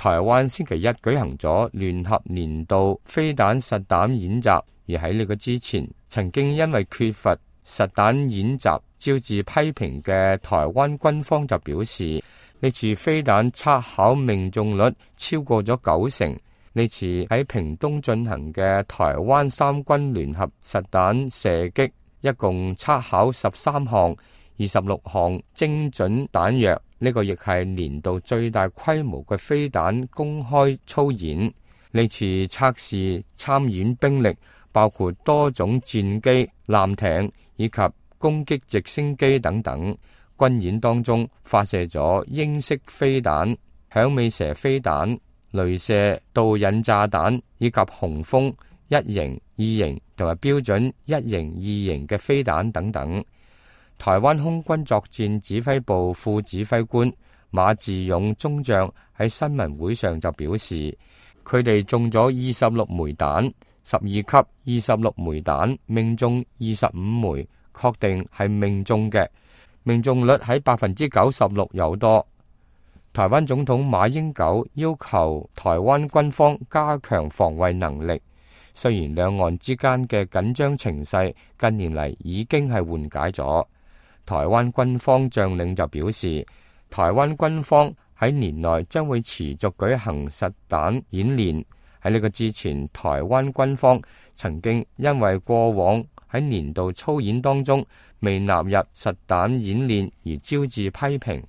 台灣星期一舉行咗聯合年度飛彈實彈演習，而喺呢個之前，曾經因為缺乏實彈演習招致批評嘅台灣軍方就表示，呢次飛彈測考命中率超過咗90%。呢次喺屏東進行嘅台灣三軍聯合實彈射擊，一共測考13項，26項精準彈藥。呢個亦係年度最大規模嘅飛彈公開操演。呢次測試參演兵力包括多種戰機、艦艇以及攻擊直升機等等。軍演當中發射咗鷹式飛彈、響尾蛇飛彈、雷射導引炸彈以及雄風1型、2型同埋標準1型、2型嘅飛彈等等。台灣空軍作戰指揮部副指揮官馬志勇中將喺新聞會上就表示，佢哋中咗26枚彈，12級26枚彈，命中25枚，確定係命中嘅，命中率喺96%有多。台灣總統馬英九要求台灣軍方加強防衛能力，雖然兩岸之間嘅緊張情勢近年嚟已經係緩解咗。台灣軍方將領就表示，台灣軍方喺年內將會持續舉行實彈演練。喺呢個之前，台灣軍方曾經因為過往喺年度操演當中未納入實彈演練而招致批評。